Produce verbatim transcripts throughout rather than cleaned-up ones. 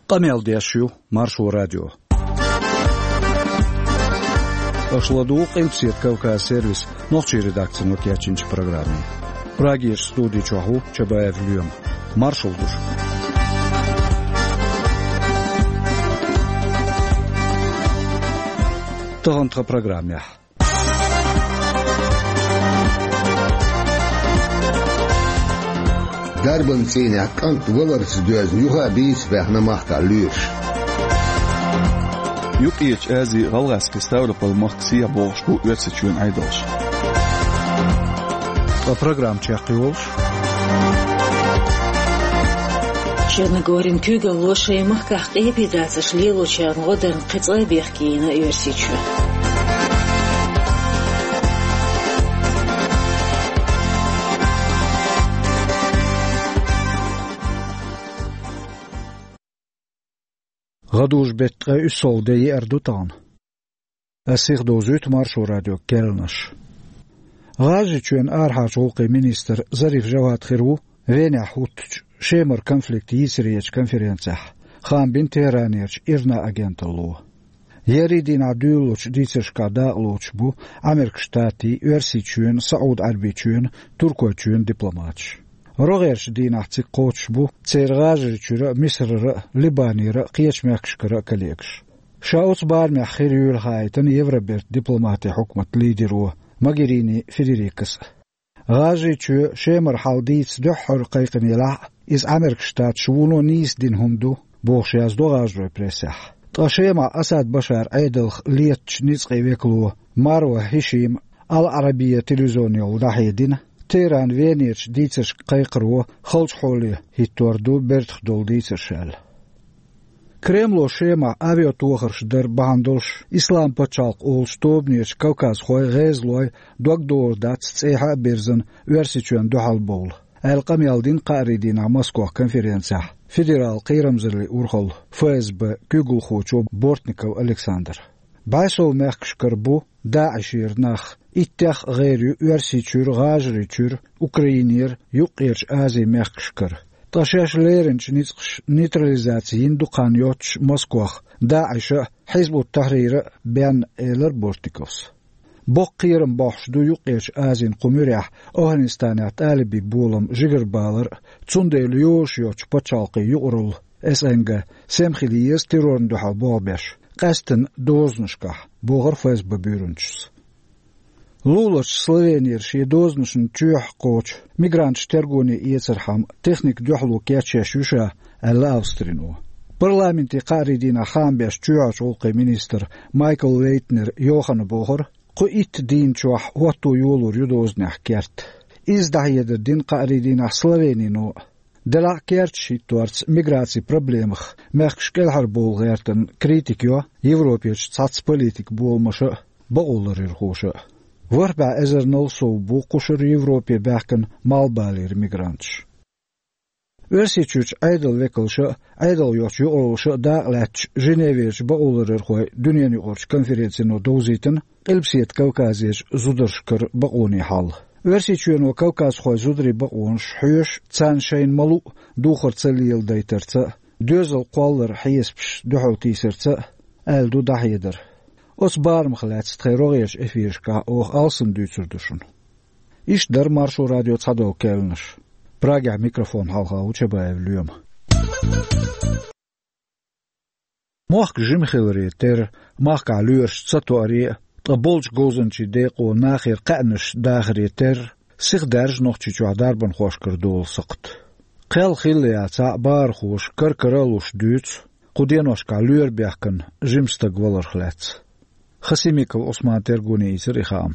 Къамел деш ю Маршо радио. Аша ладугӀу Къилбаседа Кавказ сервисан нохчийн редакцино кечйинчу программе. Прагерчу студи чохь ву Чабаев Лоьма. Маршалла ду шуьга. Тахана тхан программехь. Дарбан цӀийнехь кӀант валарца доьзна юха а бийца баьхна махкахь лоьраш. Юккъерчу Ази, ГӀалгӀазкхи Ставрополь махка сехьа богӀуш бу Оьрсийчоьнан Ӏедалш. Ткъа программа чекхйолуш. Черногорин куьйгалло шайн махкахь къепе дацарш лелочарна гӀо дарна кхин цкъа а бехке йина Оьрсийчоь. ГӀадужу-беттан ткъе уьссалгӀа де еара ду тахана. Ас сиха довзуьйту Маршо радион керланаш. ГӀажарийчоьнан арахьарчу гӀуллакхийн министр Зариф Жавад хир ву Венехь хӀуттучу Шемара конфликт йийцаречу конференцехь, хаам бина Тегеранерчу ИРНА агенталло. Еарин дийнахь дуьйлалучу дийцаршкахь дакъалоцуш бу Ӏамеркан Штатийн, Оьрсийчоьнан, СаӀуд-Ӏаьрбийчоьнан, Туркойчоьнан дипломаташ. РогӀерчу дийнахь цига кхочуш бу церан ГӀажарийчуьра а, Мисарара а, Либанера а, кхечу мехкашкара а коллегаш. Ша оцу барамехь хир юйла хаийтина Евробертан дипломатийн хьукматан лидеро Могерини Федерикас а. ГӀажарийчоь Шемара хьал дийца дуьххьара кхайкхина елахь а, иза Ӏамеркан Штаташа вуно нийса дина хӀума ду, бохуш яздо гӀажаройн прессехь. Ткъа Шемахь Асад Башаран Ӏедалх летачу ницкъийн векало Марва Хьишима Ал-Ӏарабия телевизионехула дӀахьедина, Тегеран Венерчу дийцаршка кхайкхаро халчу хьоле хӀиттор ду бертах долу дийцарш аьлла. Кремло Шемахь авиатохарш дар бахьана долуш Ислам пачхьалкх олучу тобанечу кавказхойн, гӀезалойн дог догӀур дац цӀехьа а бирзина Оьрсийчоьнна дуьхьал бовла, аьлла къамел дина кхаарин дийнахь Москвахь конференцехь федералан кхерамзаллин урхаллан, ФСБ, куьйгалхочо Бортников Александра. БӀе сов мехкашкара бу ДАИШера нах, иттех а гӀайр ю Оьрсийчуьра, ГӀажарийчуьра, Украинера, Юккъерчу Азин мехкашкара. Ткъа шаьш леринчу ницкъаша нейтрализаци йина ду кхана йоццуш Москвахь ДАИШа а, Хьизб ут-Тахьрира а бен, элира Бортниковс. Боккха кхерам бохьуш ду Юккъерчу Азин кху муьрехь Афганистанехь тӀалибийн болам жигарабалар а, цундела йозуш йоцчу пачхьалкхийн юкъаралла, СНГ, сема хила еза террорна дуьхьал болх беш, къаьсттина дозанашкахь, бохура ФСБ буьйранчас. Луларчу Словенера шен дозанашна чоьхьа кхочу мигранташ тергоне эцархьама техника дуьхьало кечъеш ю ша, аьлла Австрино. Парламентан кхаарин дийнахь хаам беш чоьхьарчу гӀуллакхийн министр Майкл Лейтнер Йоханна бохура, кху итт дийнна чохь хӀотто йолор ю дозанех керт. Изза дӀахьедар дина кхаарин дийнахь Словенино а. Делахь а керташ хӀитторца миграцин проблемах мехкаш кӀелхьарбовла гӀертарна критика йо Европерчу цхьацца политикан боламаша а, бакъоларъярхоша а. ВорхӀ бӀе эзарнал сов бу кхушара Европе баьхкина малхбалера мигранташ. Оьрсийчуьрчу Ӏедалан векалша а, Ӏедал йоцчу юкъараллаша а дакъа лаьтташ Женеверчу бакъоларъярхойн дуьненаюкъарчу конференцино довзийтина Къилбаседа Кавказерчу зударшкара бакъонийн хьал. Оьрсийчоьно кавказхойн зударийн бакъонаш хьоьшуш, царна шайна ма-луъу духар ца леладайтарца а, доьзал кхолларан хьесапаш дуьхьалтийсарца а, аьлла ду дӀахьедар. Оцу барамах лаьцна тхайн рогӀерчу эфирашкахь оха алсам дуьйцур ду шуна. Иштта дара Маршо радион цхьадолу керланаш. Прагехь микрофон хьалха ву Чабаев Лоьма. Мохк жима хиларе терра, махкахь лоьраш ца тоаре а, ткъа болчу говзанчийн декъо нахера кхаьънаш дахаре терра, сиха даьржа Нохчийчохь дарбанхошкара долу сакхт. Кхел хилла яцахь а, бахархоша кар-кара а луш дуьйцу кху деношкахь лоьра баьхкина жима стаг валарх лаьцна. Хасимиков Ӏусмана тергоне ийцира и хаам.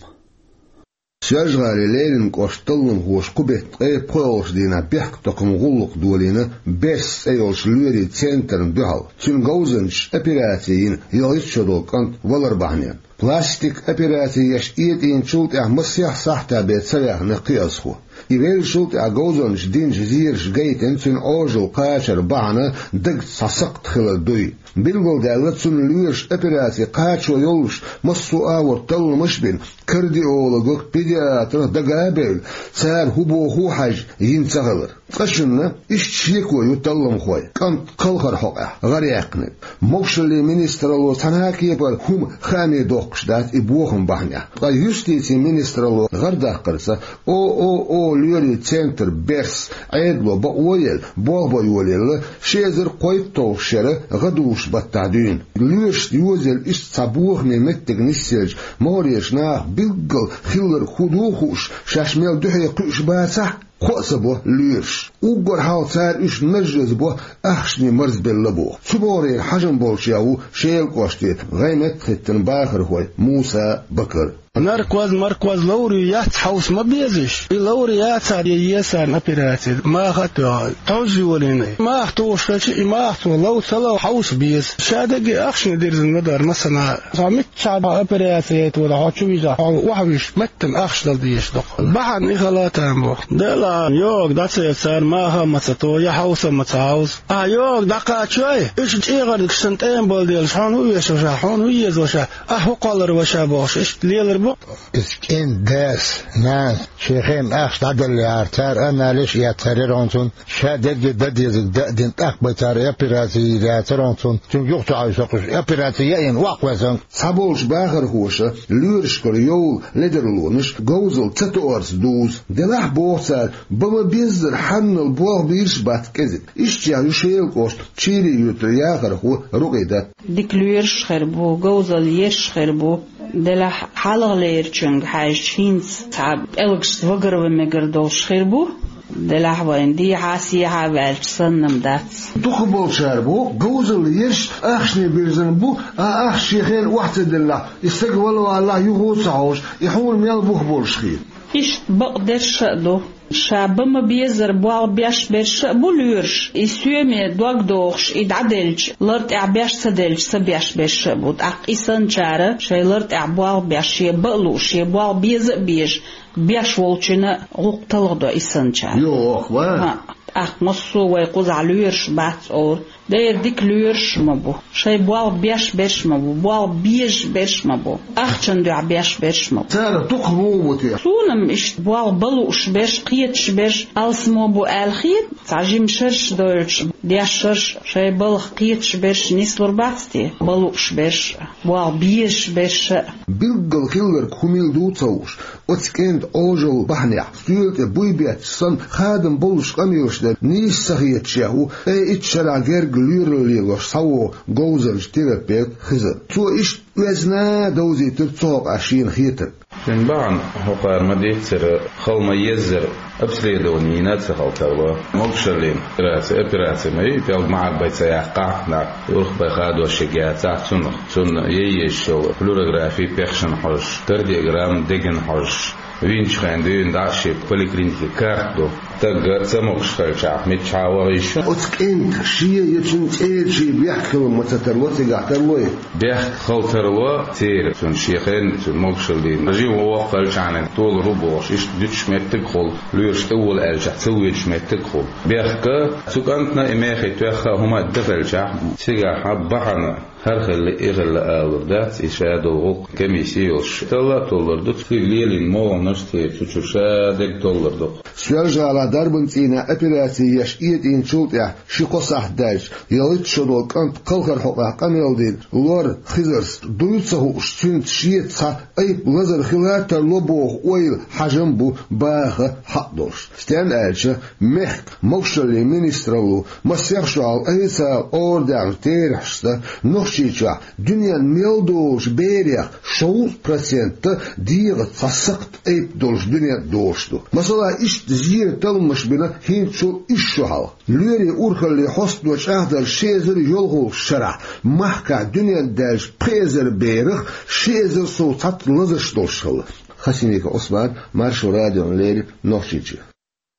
Соьлжа-ГӀалин Ленинан кӀоштан талламхоша кху беттан ткъе пхоьалгӀачу дийнахь бехктакхаман гӀуллакх долийна «Берс» цӀе йолчу лоьрийн центрна дуьхьал. Цуьнан говзанчаша операци йина ялхитта шо долу кӀант валар бахьанехь. Пластикан операци еш этӀийначул тӀаьхьа масех сахьтан бен ца ваьхна кхиазхо. И веллачул тӀаьхьа говзанчаша динчу зераша гайтина цуьнан Ӏожалла кхачар бахьана дагца цхьа сакхт хилар дуй. Билгалдаьлла, цунна лоьраша операци кхачо йолуш массо а агӀор талламаш а бина, кардиологах, педиатрах дага а бевлла, цара хӀун боху а хьаьжна, йина ца хилар. Цкъачунна иштта шеко ю талламхойн, кӀант кхалхар хьокъехь гӀар яьккхинарг. Могушаллин министралло цхьана а кепара хӀума хааме доккхуш дац и бохам бахьанехь. Ткъа юстицин министралло гӀар даккхарца, ООО «Лоьрийн центр» берс Ӏедало бакъо а елла, болх бан йолаелла, ши эзар кхойтталгӀачу шеран гӀадужу баттахь дуьйна. Лоьрашна йозаелла иштта цхьа бохаме меттиг нисъелча, могӀарерчу наха билггал хилларг хӀун ду а хууш, шаьш мел дуьхье кхуьуш бацахь а, кхоа ца бо лоьраша. Уггар хьалха цара уьш нажжаза бо ахчане марзбелла боху. Цу бахарийн хьажам болчех ву Шелан кӀоштан гӀеметтахӀиттан бахархой Муса, Бакар. Наркоз, маркоз ловр ю яц хьовса ма безаш. И ловр яцахь, я еза царна операци, маха а тоьхна, тхьовза йолийна. Маха тухуш хилча, и маха цо лов ца лов хьовса беза. Ша дерриге ахчане дирзина ма дара, масала, цхьа миччахьа операци яйта вара, хьо чу вижа, хьо охьавуьжуш, меттана ахча дала дезаш доккху. Бахьана и хала а там бу. Делахь, йогӀу дӀа ца еза цара, маха а ма ца то, я хьовса а ма ца хьовза. Ахьа йогӀу дӀакхачой, уьш чӀегӀарнаш санна тӀема бала делаш, хьуна хӀун оьшу ваша, хьуна хӀун еза ваша, ахьа хӀун кхоллар ваша бохуш, иштта лелар бу. Иза кӀентан дас, нанас шен хенахь ахча дӀаделлехьара, цара анализаш эцнера хьуна цунна, ша дерриге дан дезарг дан а дина, тӀаккха бен цара операци йийр яцара хьуна цунна, цуьнга юха ца хьовсуьйтуш, операци яийна, ваккха везанга. Цхьаболчу бахархоша лоьрашкара йовла ледарлонаш говзалла ца тоарца дузу. Делахь, боху цара, бан ма-беззара хьаннал болх бийраш а бац кӀезиг. Иштта ю Шелан кӀоштан Чийрин юьртара яхархо Рукъидат. Дика лоьраш а хир бу, говзалла еш а хир бу. Делахь, хьалхалерчуьнга хьаьжча, хӀинца цхьа пӀелгашца вагар ван мегар долуш хир бу. Делахь, вайн дехьа а, сехьа а ваьлча санна-м дац. Дукхахболчара боху, говзалла еш ахчане бирзина бу, а ахча шен хенахь охьа ца деллехь, и стаг вала валахь, юха а ца хьовсуш, и хьуна мел бух болуш хета. Иштта бакъдерш а ду. Ша бан ма-беззара болх беш берш а бу лоьраш, и соьме дог дохуш, и дӀаделча, лар тӀехь беш ца делча, ца беш берш а бу. ТӀаккха и санначара шайн лар тӀехь болх беш, шен бан а лууш, шен болх беза а безаш, беш волчунна гӀуллакх талхадо и санначара. Йо, охьа. ХӀаъ, тӀаккха массо а вай кхузахь лоьраш бац олура. Дера дика лоьраш а ма бу, шайн болх беш берш а ма бу, болх безаш берш а ма бу, ахчан дуьхьа беш берш а ма бу. Царах дукха муха бу те? Суна-м иштта болх бан лууш берш, кхеташ берш алсамо бу аьлла хета, цхьа жима шераш дойлуш, деш шераш, шайн балха кхеташ берш нислур бац те, бан лууш берш а, болх безаш берш а. Билггал хилларг хӀун мила ду ца хууш, оцу кӀентан Ӏожалла бахьанехь, стоьла тӀе буй бетташ санна, хадам боллуш къамелаш дан нийса ца хеташ ву ткъе итт шарахь герга лоьралла лелош схьавогӀу говзанча, терапевт Хизар. Цо иштта оьзна а довзийтира цу хьокъехь шена хетарг. Цуьнан бахьана хӀокхара ма-дийццара, хала ма-еззара обследование йина а ца хала тарло. Могушаллин операци, операци ма ю, пӀелг ма-Ӏарбай ца яккхахь нах, урхбай хадош яцахь цунах. Цунна яйъеш йолу флюорографи пехшина хьожуш, кардиограмма дегна хьожуш, винчу хенахь дуьйна дӀа а шен поликлиникин карта ду. Стаг ца могуш хилчахь, миччахьа а ваха йиш ю. Оцу кӀентан шен я цуьнан цӀерачийн бехк хила ма ца тарло, цигахь тарло и? Бехк хила тарло церан, цуьнан шен хенахь, цуьнан могушаллина жима воккха хилчахьана толур ву бохуш, иштта дуьтуш меттиг а хуьлу, лоьраш тӀе вола аьллачохь ца воьдуш меттиг а хуьлу. Бехк а цу кӀантана и мехий тоьхна а хӀума а дан хилчахь, цигахь бахьана хӀара хилла, и хилла алур дац, и ша долу гӀуллакх комисси йолуш. Талла а толлур ду, цига лелийна могӀанаш а, церан цу чуьра ша дерг толлур ду. Соьлжа-ГӀалахь дарбан цӀийнехь операци еш этӀийначул тӀаьхьа ши-кхо сахьт даьлча, ялхитта шо долу кӀант кхалхар хьокъехь къамел дина Лор Хизарс дуй ца хууш, цуьнца шеца цхьа айпа лазар хила а тарло боху ойла, хьажам а бу баха хьакъ долуш. Стенна аьлча, мехкан могушаллин министралло масех шо хьалха официалан орадаьхначу терахьашца, Нохчийчохь дуьненна мел долучу берех шовзткъа процент дегӀаца цхьа сакхт айпа долуш дуьненна долуш ду. Масала, иштта зеран талламаш бина хӀинцачул исс шо хьалха. Лоьрийн урхаллин хьостано чӀагӀдарца, ши эзар йолхалгӀачу шарахь махкахь дуьненна даьллачу пхи эзар берах ши эзар сов цхьацца лазарш долуш хилла. Хасимиков Ӏусман, Маршо радиона леррина, Нохчийчоь.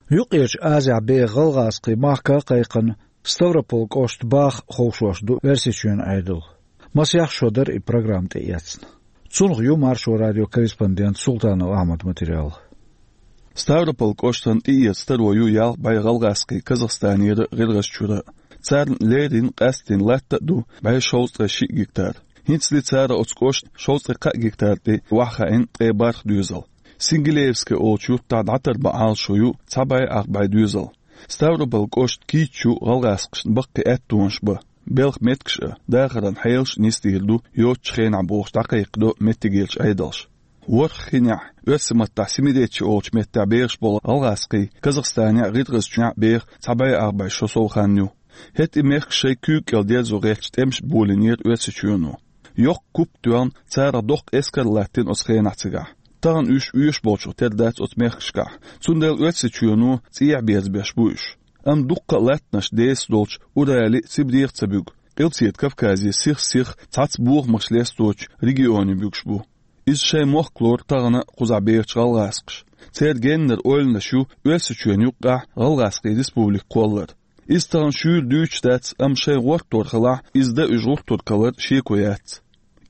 Юккъерчу Азехь беха гӀалгӀазкхийн махка а кхайкхина, Ставрополь кӀоштан баха ховшош ду Оьрсийчоьнан Ӏедал. Масех шо дара и программа тӀеэцна. Цунах ю Маршо радион корреспондент Султанов Ахьмадан материал. Ставрополь кӀоштан тӀеэца таро ю ялх бӀе гӀалгӀазкхий Казахстанера, ГӀиргӀазчура. Царна леррина къаьстина латта а ду бӀе шовзткъе шиъ гектар. ХӀинцале цара оцу кӀоштан шовзткъе кхаа гектар тӀе охьахаийна ткъе бархӀ доьзал. Сингилеевская олучу юьртахь дӀатарбан Ӏалашо ю цхьа бӀе ах бӀе доьзал. Ставрополь кӀошт кийча ю гӀалгӀазкхашна баккхий аьттонаш бан. Белхан меттигаш а, дахаран хьелаш а нисдийр ду йоцучу хенахь бохуш дӀакхайкхадо меттигерчу Ӏедалша. ВорхӀ хинехь, оьрсийн маттахь Семиречье олучу меттехь бехаш болу гӀалгӀазкхий Казахстанехь а, ГӀиргӀазчохь а беха цхьа бӀе ах бӀе шо сов хан ю. ХӀетте и мехкаш шайн куьйга кӀел дерзо гӀерташ тӀемаш болийнера Оьрсийчоьно. Йоккха куп тоьлна, царах доккха эскар а латтийна оцу хенахь цигахь. Тахана уьш оьшуш болчух тера дац оцу мехкашкахь, цундела Оьрсийчоьно цӀехьа берзабеш бу уьш. Амма дуккха а латтанаш деса долчу Урале а, Сибрех а ца буьгу. Къилбаседа Кавказе сих-сиха цхьацца бохамаш лесточу регионе буьгуш бу. Иза шайн мохк лору тахана кхузахь бехачу гӀалгӀазкхаша. Церан геннара ойланаш ю Оьрсийчоьнна юккъехь гӀалгӀазкхийн республика кхоллар. Иза тахана шуьйра дуьйцуш дац, амма шайн гӀортор хилахь, иза дан уьш гӀуртург хилар шеко яц.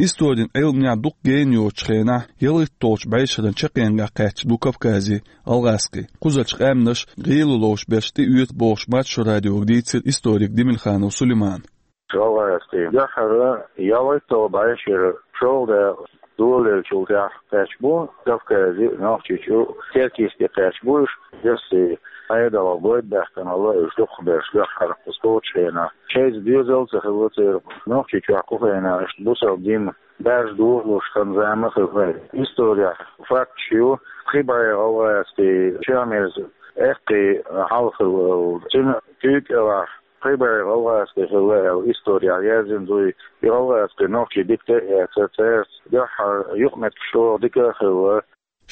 Историн Ӏилманехь дукха гена йоцучу хенахь ялхитталгӀачу бӀешеран чаккхенгахь кхаьчна ду Кавказе гӀалгӀазкхий. Кхузарчу къаьмнаша гӀийла ловш берш тӀеоьцу бохуш, Маршо радиога дийцира историк Демельханов Сулеймана. ГӀалгӀазкхий дуьххьара ялхитталгӀа бӀешеран шолгӀа дакъа долалеллачул тӀаьхьа кхаьчна бу Кавказе а, Нохчийчу а, Теркийске кхаьчна бу уьш. Оьрсийн Ӏедалан бойда баьхкина хилла уьш дукхахберш дуьххьара кхуза кхочу хенахь. Шайца доьзал а ца хилла церан. Нохчийчохь кху хенахь иштта бусалба дин баьржа дохалуш хан зама хилла. Исторехь факташ ю, пхи бӀе гӀалгӀазкхий Чамерза эккхий хьалха хилла. Цуьнан куьйга кӀелахь пхи бӀе гӀалгӀазкхий хилла аьлла исторехь яздина ду. И гӀалгӀазкхий нохчий дика тӀе а эцна, цаьрца дуьххьара юкъаметтигаш чӀогӀа дика а хилла.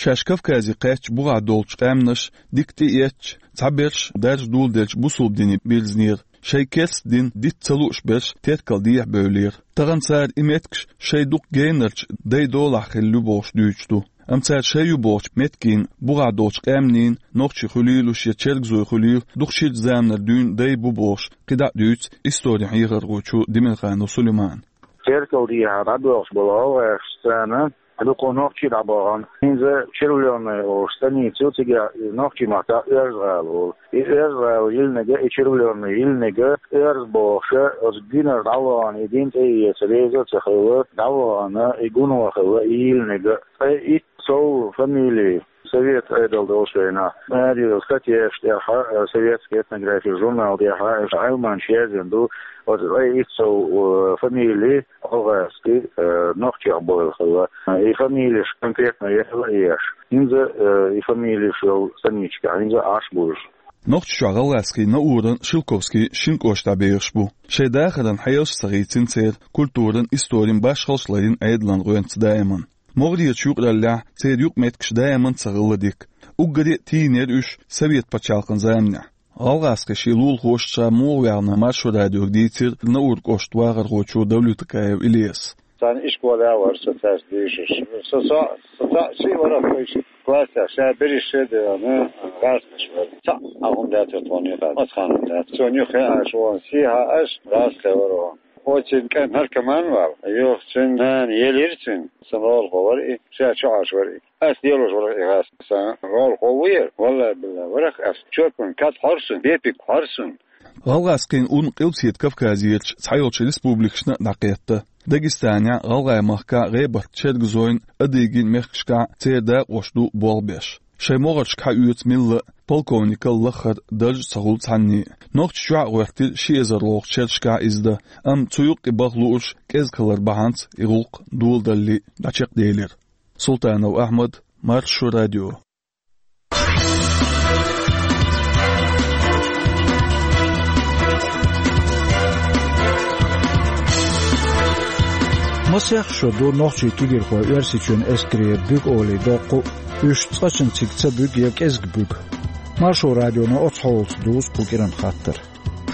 Шаьш Кавказе кхаьчча бухахь долчу къаьмнаш дика тӀеэцча, цхьаберш даржа доладелча бусалба дине бирзинера, шайн керста дин дита ца лууш берш теркал дехьабевллера. Тахана цара и меттигаш шайн дукха генарчу дайн долахь хилла ю бохуш дуьйцуш ду. Амма цара шайн ю бохучу меттигийн бухахь долчу къаьмнийн нохчий хуьлийла уьш я чергазой хуьлийла, дукха ширачу заманара дуьйна дай бу бохуш, кхидӀа а дуьйцу историн хьехархочо Демельханов Сулеймана. Теркал дехьа дӀабоьлхуш болу гӀалгӀазкхашца царна дукха нохчий дӀабахана. ХӀинца Червлённая олуш станица ю, цигахь и нохчийн маттахь Оьрза-гӀала олу. И Оьрза-гӀала йиллинарг а, и Червлённая йиллинарг а оьрза бохуш, оцу гуьнара дӀавахана, и дин тӀеэца реза а ца хилла, дӀавахана, и гуно хилла, и йиллинарг а. Ткъе итт сов фамили совет Ӏедал долчу хенахь, маре статьяш тӀехь, «Советская этнография» журнал тӀехь, Ӏилманчаша яздина ду, оцу ткъе итт сов, э, фамили гӀалгӀазкхий, э, нохчех бевлла хилла. И фамилеш конкретно яла а еш. ХӀинца, э, и фамилеш йолу станичка, хӀинца Ӏаш бу уьш. Нохчийчохь гӀалгӀазкхий Науран, Шелковскийн шина кӀоштахь бехаш бу. Шайн дахаран хьелаш а ца хийцина церан, культуран, историн башхаллаш а ларйина Ӏедалан гӀоьнца даиман. МогӀарерчу юкъараллехь церан юкъаметтигаш даиман а ца хилла дика. Уггаре а тийна яра уьш совет пачхьалкхан заманахь. ГӀалгӀазкхий шен лулахошца муха ваьхна Маршо радиога дийцира Наур кӀоштан вахархочо Давлютакаев Ильяса. Царна ишколехь а вара со цаьрца дийшаш. Со цхьаъ, со цхьаъ шиъ вара вайша классехь, ша берриш шен а девлла, гӀазкхаш вара. Цхьаъ а хӀума даьттара тхуна юкъахь. Маца хан хӀума даьттара. Цунна юххе а аша вон, сехьа аша гӀазкхе вара вон. Оццуьнан кӀант наркоман вара. Юха цуьнан нана елира цуьнан. Сан гӀолахо вара и, ша чу Ӏаш вара и. Ас лелош вара и гӀазкх. Сан гӀолахо ву яра, валлахӀи-биллахӀи, вара ас. Чорпан кад хьора суна, бепиг хьора суна. ГӀалгӀазкхийн ун Къилбаседа Кавказерчу цхьайолчу республикашна а дӀакхетта. Дагестанехь, ГӀалгӀай махкахь, ГӀебарта-Чергазойн, Адыгин мехкашкахь церан дакъош ду болх беш. Шайн могӀаршка хьаоьцу милла а, полковникал лаххара дарж а ца хуьлу цхьанне. Нохчийчохь а гӀоьртира ши эзар лолгӀачу шерашкахь иза дан, амма цу юккъе баха луурш кӀезиг хилар бахьанца и гӀуллакх доладалале дӀачекхделира. Султанов Ахьмад, Маршо радио. Масех шо ду нохчийн кегийрхой Оьрсийчоьнан эскарера буьгу олий доккху а, уьш цкъачунна цига ца буьгу я кӀезиг буьгу. Маршо радионо оцу хьолаца дузу кху кӀиран хаттар.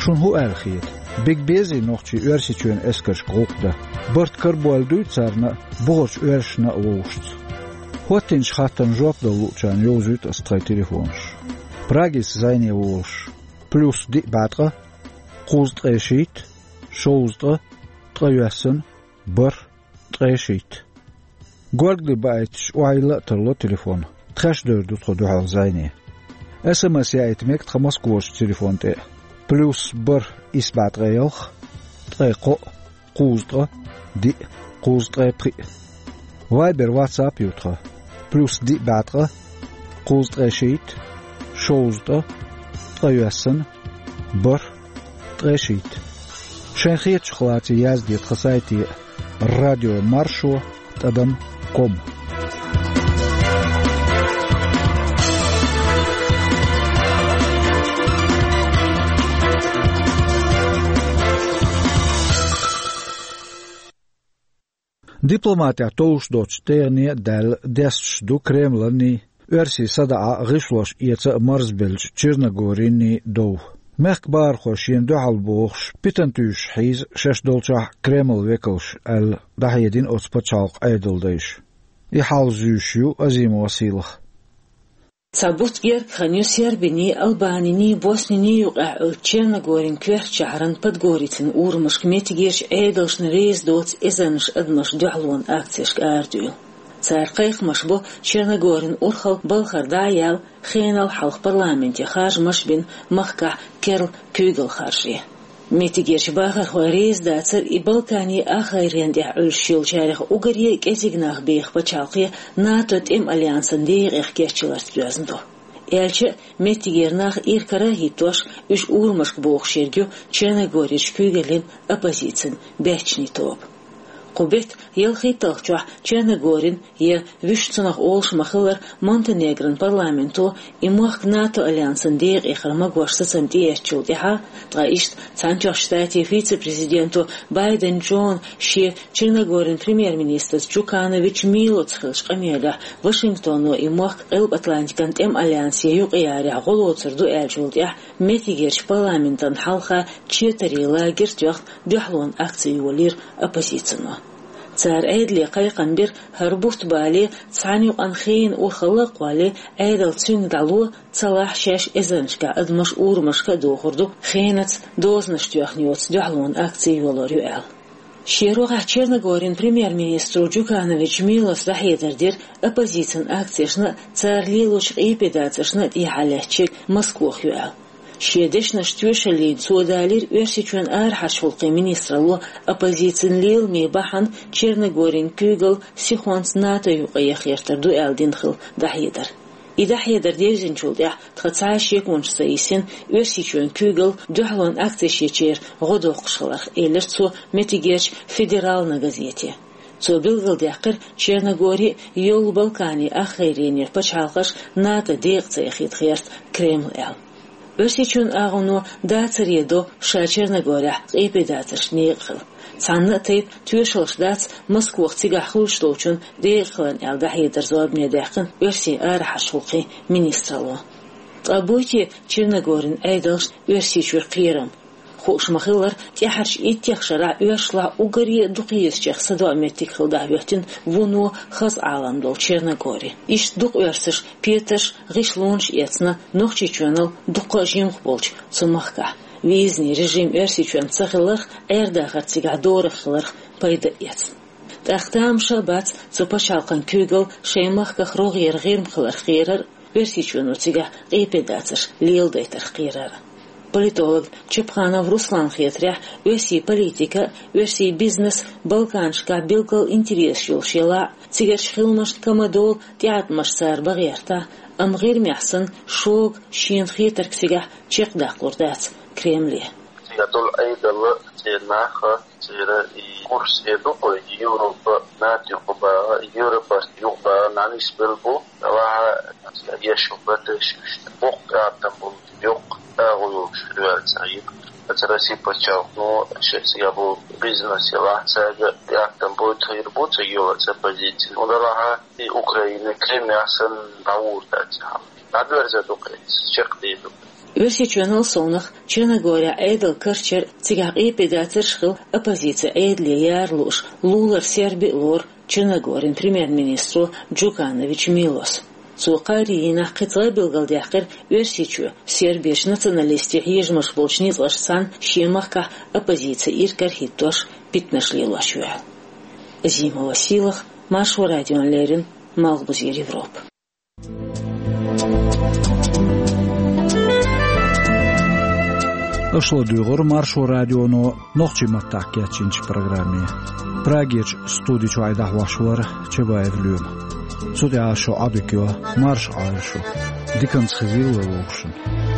Шуна хӀун аьлла хета? Бега безий нохчий Оьрсийчоьнан эскаршка гӀуллакх дан? Барт карабойла дуй царна а, бухарчу оьрсашна а вовшашца? ХӀоттийначу хаттарна жоп дала луучарна йовзуьйту аса тхайн телефонаш. Прагица зӀене волуш: плюс диъ бӀе ткъа, кхузткъе шийтта, шовзткъа, ткъайоьсна, бархӀ, ткъе шийтта. Горгали баийтича, охьайилла а тарло телефон. Тхаьш девр ду тхо дуьхьал зӀене. СМС яийта мега тхан Москварчу телефон тӀе: плюс бархӀ исс бӀе ткъе ялх, ткъе кхоъ, кхузткъа, диъ, кхузткъе пхиъ. Вайбер, ватсап ю тхан: плюс диъ бӀе ткъа, кхузткъе шийтта, шовзткъа, ткъе йоьссана, бархӀ, ткъе шийтта. Шайн хетачух лаций язде тхан сайте: радио маршо тӀадам ком. Дипломатехь товш доцчу тӀегӀане а даьлла, десташ ду Кремланий, Оьрсий садаӀа гӀишлош эца а марзбеллачу Черногорийний дов. Мехкан бахархой шена дуьхьал бохуш, питана туьйсуш хьийза шаьш долчохь Кремлан векалш аьлла, дӀахьедина оцу пачхьалкхан Ӏедалдайша. И хьал зуьйш ю Азимова Сийлаха. Цхьа бутт гергга хан ю Сербиний, Албаниний, Босниний юкъахь Ӏуьллучу Черногорин коьртачу шахьаран Подгорицын урамашка меттигерчу Ӏедалшна реза доцу эзарнаш адамаш дуьхьалонан акцешка арадуьйла. Цара кхайкхамаш бо Черногорин урхалла балхара дӀа а яьлла, хенал хьалха парламенте харжамаш а бина, махкахь керла куьйгалла харжа. Меттигерчу бахархой реза дацара и Балканийн ахгӀайрен тӀехь Ӏуьллуш йолчарех уггаре а кӀезиг нах беха пачхьалкхе НАТО тӀеман альянсан декъех кечйаларца доьзна ду. Аьлча а, меттигера нах иракарахӀиттош, уьш урамашка бохуш ерг ю Черногорерчу куьйгаллин оппозицин баьччанийн тоба. Кху беттан ялхитталгӀачохь Черногорин, я, вуьшта цунах олуш ма-хиллара, Монтенегрон парламенто и мохк НАТО альянсан декъехьара магош сацам тӀеэцначул тӀаьхьа, ткъа иштта Цхьаьнатоьхначу Штатийн вице-президенто Байден Джона шен Черногорин премьер-министрца Джуканович Милоца хиллачу къамелехь Вашингтоно и мохк Къилба-Атлантикан тӀеман альянсе юкъаярехь гӀо лоцур ду аьллачул тӀаьхьа, меттигерчу парламентан хьалха четарийн лагерь тоьхна дуьхьалонан акци йолийра оппозицино. Цара Ӏедале кхайкхам бира, хӀара бутт бале, цхьана юкъана хенан урхалла а кхолле, Ӏедал цуьнга дӀало, цалахь шаьш эзарнашкахь адамаш урамашка а дохур ду, хенаца дозанаш тоьхна йоцу дуьхьалонан акци йолор ю аьлла. Шен рогӀехь Черногорин премьер-министро Джуканович Милоса дӀахьедар дира оппозицин акцешна а, цара лелочу къепедацаршна а тӀехьа лаьттачу Москох ю аьлла. Шен дешнаш тоьшаллина цо далийра Оьрсийчоьнан арахьарчу гӀуллакхийн министралло оппозицин леламийн бахьана Черногорин куьйгалла сихонца НАТО юкъа яха гӀертар ду аьлла дина хилла дӀахьедар. И дӀахьедар девзинчул тӀаьхьа тхан цхьа а шеконаш ца йисина, Оьрсийчоьнан куьйгалла дуьхьалонан акцеш ечеран гӀо доккхуш хиларх, элира цо меттигерчу «Федеральна» газете. Цо билгалдаьккхира, Черногори йоллу Балканийн ахгӀайренера пачхьалкхаш НАТО декъа ца яхийта гӀерта Кремль аьлла. Оьрсийчоьнан агӀоно дацаре до ша Черногорехь къепедацаршна некъа хила. Цхьанна а тайпа тоьшаллаш дац Москох цигахь хуьлуш долчунна декъахиларна аьлла дӀахьедар зорбане даьккхина оьрсийн арахьарчу гӀуллакхийн министралло. Ткъа буй те Черногорин Ӏедалшна Оьрсийчуьра кхерам? Хууш ма-хиллара, тӀаьхьарчу иттех шарахь оьрсашлахь уггаре а дукхаезачех садоӀу меттиг хилла дӀахӀоьттина вуно хаза Ӏалам долу Черногори. Иштта дукха оьрсаша петарш, гӀишлонаш эцна Нохчийчоьнал дуккха а жимах болчу цу махкахь. Визный режим Оьрсийчоьнца ца хиларх, Ӏер-дахар цигахь дорах хиларх пайда а эцна. ТӀаккха тамаша а бац цу пачхьалкхан куьйгалла шайн махках рогӀера ГӀирма хиларх кхерар а, Оьрсийчоьно цигахь къепедацарш леладайтарх кхерар а. Политолог Чапханов Русланна хетарехь, оьрсийн политика а, оьрсийн бизнес а Балканашкахь билггал интересаш йолуш елахь а, цигарчу хиламашна кама долу тӀеӀаткъамаш цара бан гӀертахь а, амма ГӀирмехь санна шога шена хетарг цигахь чекхдаккхалур дац Кремле. Цигахь долу Ӏедал а, церан нах а, церан и курс а ду-кх, Европа, НАТО юкъа баха, Европас юкъа баха, нанис бел бу, ваха, еш ю бата шуьшта. Боккха атта бу, йоккха агӀо йолуш хир ваьлла ца хир. Аса Россия пачхьалкхо, ну, шеца я бу бизнес я ваха, цаьрга атта бу, тхир бу, ца йола, ца позиция. Ну, да ваха, и Украина, Крым яхсан, дӀавур дац, хьал. ДӀадоьрза ду-кх, чекхдийр ду-кх. Оьрсийчоьнал совнах, Черногорехь Ӏедал карчар, цигахь къепедацарш хила, оппозици Ӏедале яра лууш, лулара Серби а лору Черногорин премьер-министро Джуканович Милос. Цо кхаарин дийнахь кхин цкъа а билгалдаьккхира, Оьрсийчоь Серберчу националистийн хьежамаш болчу ницкъашца цхьаьна шен махкахь оппозици иракарахӀиттош питанаш лелош ю аьлла. Азимова Сийлаха, Маршо радиона леррина, Малхбузера Европа. Аша ладугӀура Маршо радионо нохчийн маттахь кечйинчу программе. Прагерчу студи чохь дӀахьош вара Чабаев Лоьма. Цу тӀехь шун Ӏадика йо, марша Ӏойла шу. Диканца хезийла вовшашна.